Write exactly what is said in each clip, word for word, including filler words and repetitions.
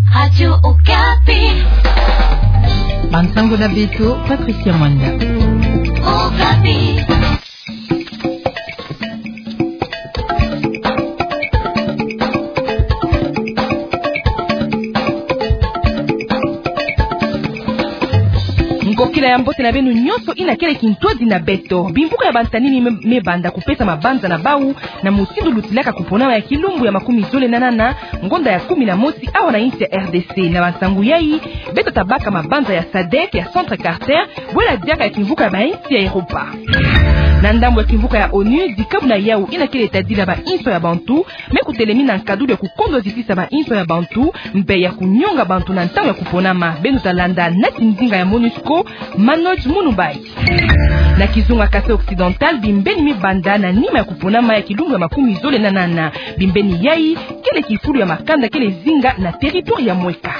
Radio Okapi. Bansango na beto, Patricia Mwanda. Okapi. Nkokila ya mbote na beno nyonso ina kele kintwadi na beto. Bimvuka ya bantanini me, me banda kupesa mabanza na bau na mutindu lutilaka kuponama ya kilumbu ya makumi zole na nana, ngonda ya kumi na mosi awa na insi ya R D C. Na bansangu yai, beto tabaka mabanza ya sadec, ya Centre Carter, bwela diaka ya kimvuka ya bainsi ya Europa. Na ndambu ya kimvuka ya onu, dikabu na yau ina kele tadila bainso ya bantu, me kutelemina nkadulu ya kukondwa zitisa bainso ya bantu, mpe ya kunyonga bantu na ntangu ya kuponama. Beno talanda nati ndinga ya MONUSCO, Manoj Munubai. Na kizunga Kasai Occidental, bimbeni me banda na nima ya kuponama ya kilumbu ya makumi zole na nana. Bimbeni yai, kele kifulu ya makanda kele zinga na territoire ya Mweka.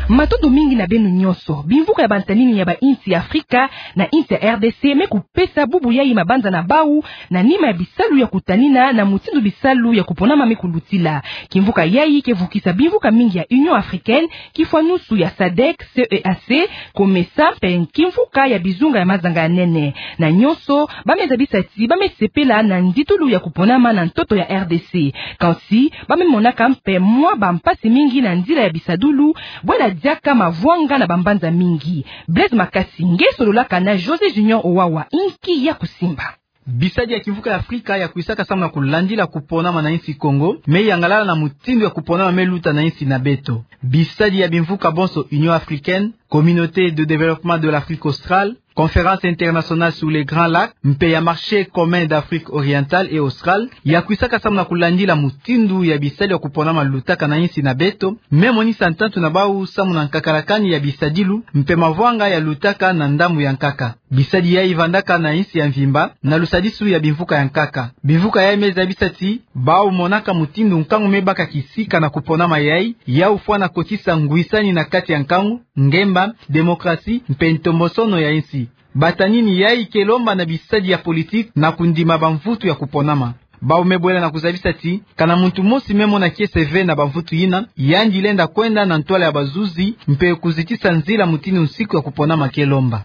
Matondo mingi na beno nyonso. Bimvuka ya bantanini ya bainsi ya Afrika na insi ya R D C me kupesa bubu yai mabanza na bau, na nima ya bisalu ya kutanina na mutindu bisalu ya kuponama me kulutila. Kimvuka yai ke vukisa bimvuka mingi ya Union Africaine, kifwanusu ya sadec, C E A C, COMESA, mpe kimvuka ya bizunga ya mazanga ya nene. Na nyonso, ba me zabisa ti ba me sepela na nditulu ya kuponama na ntoto ya R D C. Kansi, ba me monaka mpe mwa bampasi mingi na nzila ya bisadulu, bwela diaka mavwanga na bambanza mingi. Blaise Makasi nge sololaka na José Junior Owawa, inki ya kusimba. Bisadi ya kimvuka ya Afrika ya kwisaka samu na kulandila kuponama na insi Congo, me yangalala na mutindu ya kuponama me luta na insi na beto. Bisadi ya bimvuka bonso Union Africaine, Communauté de Développement de l'Afrique Australe, Conférence Internationale sur les Grands Lacs, mpe ya Marché Commun d'Afrique Orientale et Australe, ya kwisaka samu na kulandila mutindu ya bisadi ya kuponama lutaka na insi na beto, me monisa ntantu na bau samu na nkakalakani ya bisadilu, mpe mavwanga ya lutaka na ndambu ya nkaka. Bisadi yai vandaka na insi ya mvimba, na lusadisu ya bimvuka ya nkaka. Bimvuka yai me zabisa ti, bau monaka mutindu nkangu me baka kisika na kuponama yai, yau fwana kotisa ngwisani na kati ya nkangu, ngemba, démocratie, mpe ntombosono ya insi. Bantanini yai ke lomba na bisadi ya politique na kundima bamvutu ya kuponama. Bau me bwela na kuzabisa ti, kana muntu mosi me mona kiese ve na bamvutu yina, yandi lenda kwenda na ntwala ya bazuzi, mpe kuzitisa nzila mutindu nsiku ya kuponama ke lomba.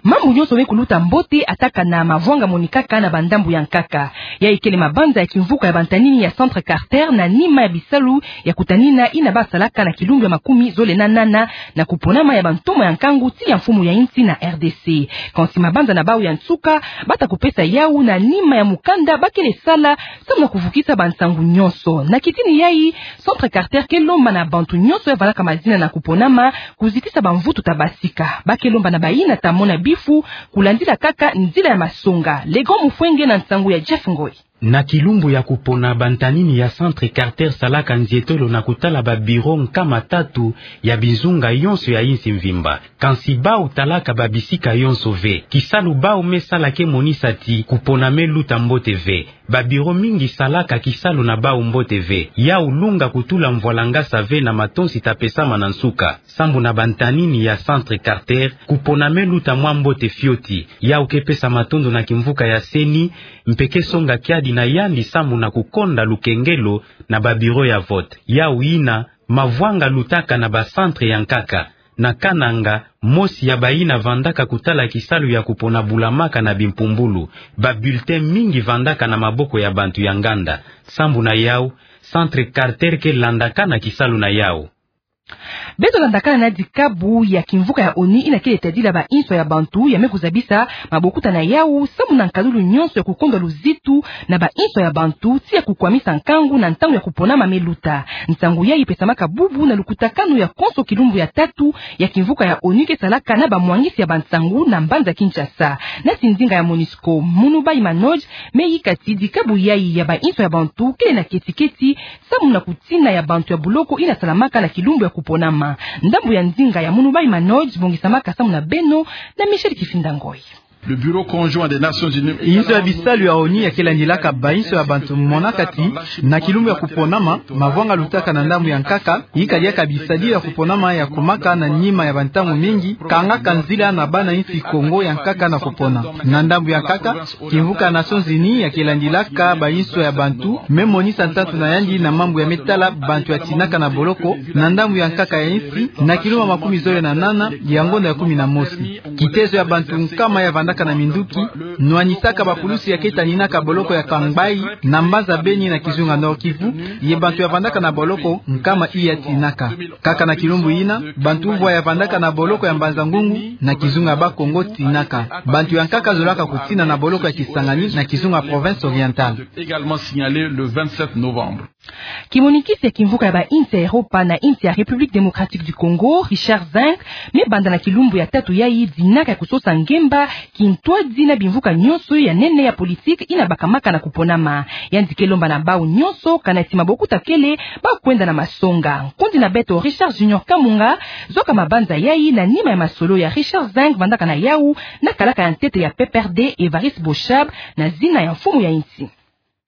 Mambu nyonso me kuluta mbote ata kana mavwanga monikaka na bandambu ya nkaka. Yai kele mabanza ya kimvuka ya bantanini ya Centre Carter na nima ya bisalu ya kutanina ina ba salaka na kilumbu ya makumi zole na nana na kuponama ya bantoma ya nkangu ti ya mfumu ya insi na R D C. Kansi mabanza na bau ya nsuka, ba ta kupesa yau na nima ya mukanda ba kele sala, samu na kuvukisa bansangu nyonso. Na kitini yai, Centre Carter ke lomba na bantu nyonso ya vandaka mazina na kuponama, kuzitisa bamvutu ta basika. Ba ke lomba na bayina ta mona bifu, kulandila kaka nzila ya masonga. Le Grand Mufwenge na nsangu ya Jeff Ngoy. Na kilumbu ya kupona, bantanini ya Centre Carter salaka nzietolo na kutala ba bureau nkama tatu ya bizunga yonso ya insi mvimba. Kansi bau talaka ba bisika yonso ve. Kisalu bau me sala ke monisa ti kupona me luta mbote ve. Ba bureau mingi salaka kisalu na bau mbote ve. Yau lunga kutula mvwalangasa ve na matonsi ta pesama na nsuka. Sambu na bantanini ya Centre Carter, kupona me luta mwa mbote fioti. Yau ke pesa matondo na kimvuka ya CENI, mpe ke songa kiadi na yandi sambu na kukonda lukengelo na ba bureau ya vote. Yau yina, mavwanga lutaka na ba centre ya nkaka. Na Kananga, mosi ya bayina vandaka kutala kisalu ya kupona bulamaka na bimpumbulu. Ba bulletin mingi vandaka na maboko ya bantu ya nganda. Sambu na yau, Centre Carter ke landakana kisalu na yau. Beto landakana na dikabu ya kimvuka ya ONU ina kele tadila ba inso ya bantu ya me kuzabisa mabokuta na yau, sambu na nkadulu nyonso ya kukonda luzitu na ba inso ya bantu, ti ya kukwamisa nkangu na ntangu ya kuponama me luta. Nsangu yai pesamaka bubu na lukutakanu ya konso kilumbu ya tatu ya kimvuka ya ONU ke salaka na bamwangisi ya bansangu na mbanza Kinshasa. Nati ndinga ya MONUSCO, Munubai Manoj, me yika ti dikabu yai ya ba inso ya bantu kele na keti-keti, sambu na kutina ya bantu ya buloko ina salamaka na kilumbu ya kuponama. Ndambu ya ndinga ya Munubai Manoj bongisamaka sambu na beno na Michel Kifinda Ngoy. Le Bureau conjoint des Nations Unies. Inzo ya bisalu ya ONU ya ke landilaka bainso ya bantu monaka ti, na kilumbu ya kuponama, mavwanga lutaka na ndambu ya nkaka, ika diaka bisadila ya kuponama ya kumaka na nima ya bantangu mingi, kangaka nzila na bana insi Kongo ya nkaka na kupona. Na ndambu ya nkaka, kimvuka Nations Unies ya ke landilaka bainso ya bantu, me monisa ntantu na yandi na mambu ya me tala bantu ya tinaka na boloko, na ndambu ya nkaka ya insi, na kilumbu makumi zole na nana, ya ngonda ya kumi na mosi. Kitezo ya bantu nkama ya vandaka na minduki, nwanisaka bapulusi ya ke taninaka boloko ya Kangbayi, na mbanza Beni na kizunga Nord-Kivu, ye bantu ya vandaka na boloko, nkama iya tinaka. Kaka na kilumbu ina, bantu uvwa ya vandaka na boloko ya Mbanza-Ngungu, na kizunga Bas-Congo tinaka. Bantu ya nkaka zolaka kutina na boloko ya Kisangani, na kizunga Province Orientale. Également signalé le vingt-sept novembre. Kimonikisi ya kimvuka ya bainsi ya Europa na insi ya République Démocratique du Congo, Richard Zinck, me banda na kilumbu ya tatu yayi dinaka ya kusosa ngemba, kintwadi na bimvuka nyonso ya nene ya politique ina bakamaka na kuponama. Yandi ke lomba na bau nyonso, kana ti mabokuta kele, ba kwenda na masonga. Nkundi na beto Richard Junior Kamunga, zoka mabanza yayi na nima ya masolo ya Richard Zinck vandaka na yau, na kalaka ya ntete ya P P R D Évariste Boshab, na zina ya mfumu ya insi.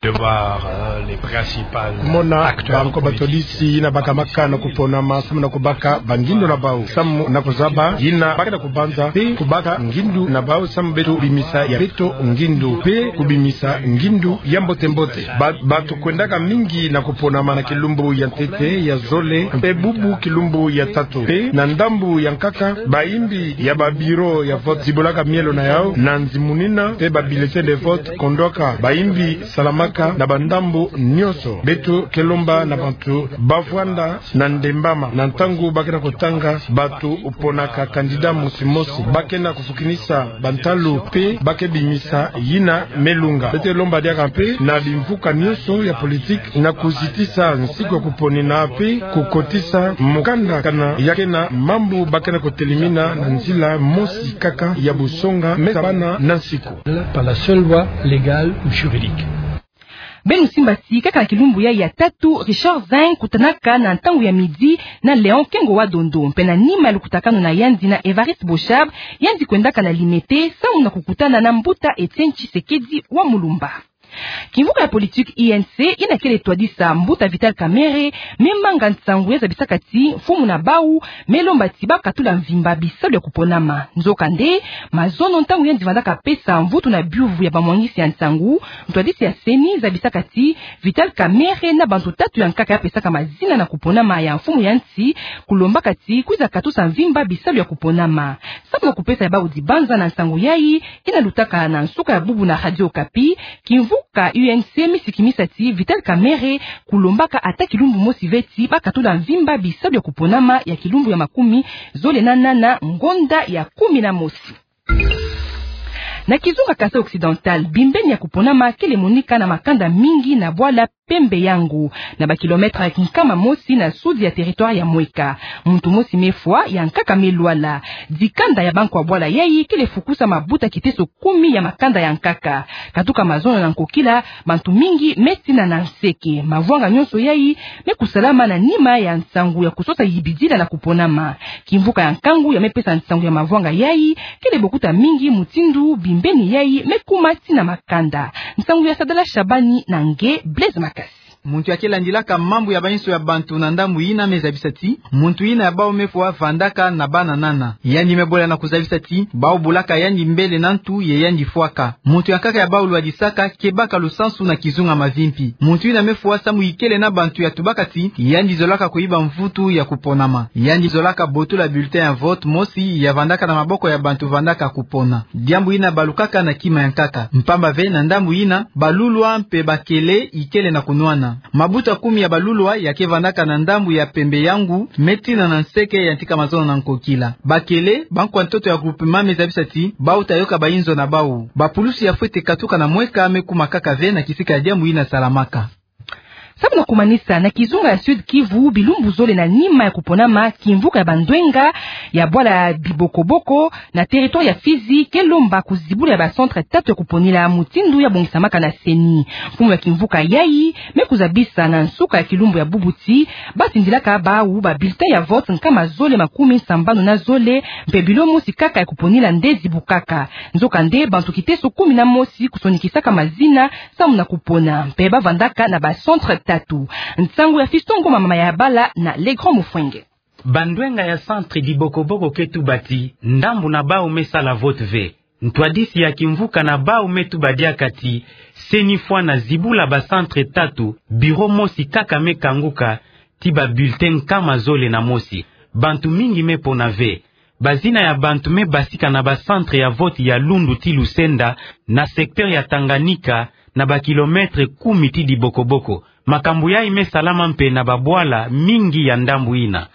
De voir, euh, les principales... Kumona acteurs banko politiques, batolisi ina bakamaka na kuponama samu na kubaka bangindu na bau, samu na kuzaba ina bake na kubanza, pe kubaka ngindu na bau samu beto bimisa ya beto ngindu, pe kubimisa ngindu ya mbote-mbote. Ba, bato kwendaka mingi na kuponama na kilumbu ya ntete, ya zole, pe bubu kilumbu ya tatu. Pe na ndambu ya nkaka, baimbi ya ba bureau ya vote zibolaka mielo na yau, na nzimunina, pe ba bulletin de vote kondwaka, baimbi salamaka na bandambu nyonso. Beto ke lomba na bantu bavwanda na ndembama, na ntangu bake na kutanga, bato ponaka candidat mosi-mosi, bake na kufukinisa bantalu, pe bake bimisa yina me lunga. Beto lomba diaka mpe na bimvuka nyonso ya politique na kuzitisa nsiku ya kuponina pe kukotisa mukanda kana ya ke na mambu bake na kutelimina na nzila mosi kaka ya busonga me sabana na nsiku. Par la seule voie légale ou juridique. Beno simba ti, kaka na kilumbu yayi ya tatu, Richard Zinck kutanaka na ntangu ya midi na Léon Kengo wa Dondo, mpe na nima ya lukutakanu na yandi na Évariste Boshab, yandi kwendaka na Limete, samu na kukutana na mbuta Étienne Tshisekedi wa Mulumba. Kimvuka ya politique U N C ina kele twadisa mbuta Vital Kamerhe, me manga nsangu ya zabisaka ti mfumu na bau me lomba ti ba katula mvimba bisalu ya kuponama. Nzokande, mazono ntangu yandi vandaka pesa mvutu na biuvu ya bamwangisi ya nsangu, ntwadisi ya CENI zabisaka ti Vital Kamerhe na bantu tatu ya nkaka ya pesaka mazina na kuponama ya mfumu ya nsi, kulombaka ti kwiza katusa mvimba bisalu ya kuponama. Samu na kupesa ya bau dibanza na nsangu yayi, ina lutaka na nsuka ya bubu na Radio Okapi, kimvuka U N C me sikimisa ti Vital Kamerhe kulombaka ata kilumbu mosi ve ti ba katula mvimba bisalu ya kuponama ya kilumbu ya makumi zole na nana ngonda ya kumi na mosi. Na kizunga Kasaï Occidental, bimbeni ya kuponama kele monika na makanda mingi na bwala Pembe Yangu, na ba kilomètre ya kinkama mosi na sud ya territoire ya Mweka. Muntu mosi me fwa, ya nkaka me lwala. Dikanda ya bankwa bwala yayi kele fukusa mabuta kiteso kumi ya makanda ya nkaka. Katuka mazono na nkokila, bantu mingi me tina na nseke. Mavwanga nyonso yayi me kusalama na nima ya nsangu ya kusosa yibidila na kuponama. Kimvuka ya nkangu ya me pesa nsangu ya mavwanga yayi kele bokuta mingi mutindu bimbeni yayi me kuma tina makanda. Nsangu ya Sadala Shabani na nge Blaise Makasi. Muntu ya ke landilaka mambu ya bainso ya bantu na ndambu yina me zabisa ti muntu yina ya bau me fwa vandaka na bana nana. Yandi me bola na kuzabisa ti bau bulaka yandi mbele na ntu ye yandi fwaka. Muntu ya nkaka ya bau lwadisaka ke baka lusansu na kizunga Mavimpi. Muntu yina me fwa samu ikele na bantu ya tubaka ti yandi zolaka kuyiba mvutu ya kuponama. Yandi zolaka botola bulletin ya vote mosi ya vandaka na maboko ya bantu vandaka kupona. Diambu yina balukaka na kima ya nkaka. Mpamba ve na ndambu yina, balulwa mpe bakele ikele na kunwana. Mabuta kumi ya balulwa ya ke vandaka na ndambu ya Pembe Yangu me tina na nseke ya ntika mazono na nkokila. Bakele, bankwa ntoto ya groupement me zabisa ti bau ta yoka bainzo na bau. Bapulusi ya fwete katuka na Mweka me kuma kaka ve na kisika ya diambu yina salamaka. Samu na kumanisa, na kizunga ya Sud-Kivu, bilumbu zole na nima ya kuponama, kimvuka ya bandwenga ya bwala ya Bibokoboko na territoire ya Fizi ke lomba kuzibula ya ba centre tatu ya kuponila, mutindu ya bongisamaka na CENI. Mfumu ya kimvuka yayi me kuzabisa na nsuka ya kilumbu ya bubu ti ba tindilaka bawu ba bulletin ya vote nkama zole makumi sambanu na zole, mpe bilo mosi kaka ya kuponila nde zibukaka. Nzokande, bantu kiteso kumi na mosi kusonikisaka mazina samu na kupona, mpe ba vandaka na ba centre tatu. Nsangu ya Fiston Ngoma, mama ya bala, na Le Grand Mufwenge. Bandwenga ya centre Bibokoboko ke tuba ti ndambu na bawu me sala vote ve. Ntwadisi ya kimvuka na bawu me tuba diaka ti CENI fwana zibula ba centre tatu, bureau mosi kaka me kanguka ti ba bulletin nkama zole na mosi. Bantu mingi me pona ve. Bazina ya bantu me basika na ba centre ya vote ya Lundu ti Lusenda, na secteur ya Tanganyika, na ba kilomètre kumi ti Bibokoboko. Makambu yayi me salama mpe na babwala mingi ya ndambu yina.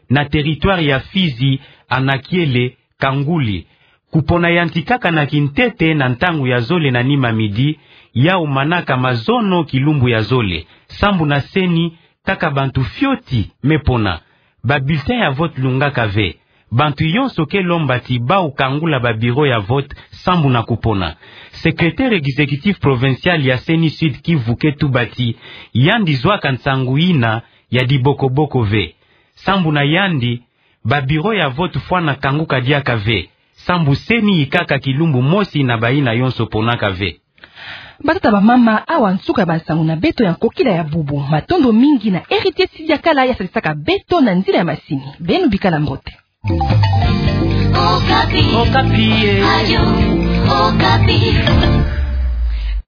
Na territoire ya Fizi, Anakiele, Kanguli, kupona yantikaka na kintete na ntangu ya zole na nima midi, yawu manaka mazono kilumbu ya zole. Sambu na CENI, kaka bantu fioti me pona. Ba bulletin ya vote lungaka ve. Bantu yonso ke lomba ti bawu kangula ba bureau ya vote sambu na kupona. Secrétaire exécutif provincial ya CENI Sud-Kivu ke tuba ti yandi zwaka nsangu yina ya Bibokoboko ve. Sambu na yandi, ba bureau ya vote fwana kanguka diaka ve, sambu CENI yikaka kilumbu mosi na bayina yonso ponaka ve. Batata, bamama, awa nsuka ya bansangu na beto ya nkokila ya bubu. Matondo mingi na Héritier Sidiakala ya sadisaka beto na nzila ya masini. Beno bikala mbote. Okapi. Okapi, eh. Radio Okapi.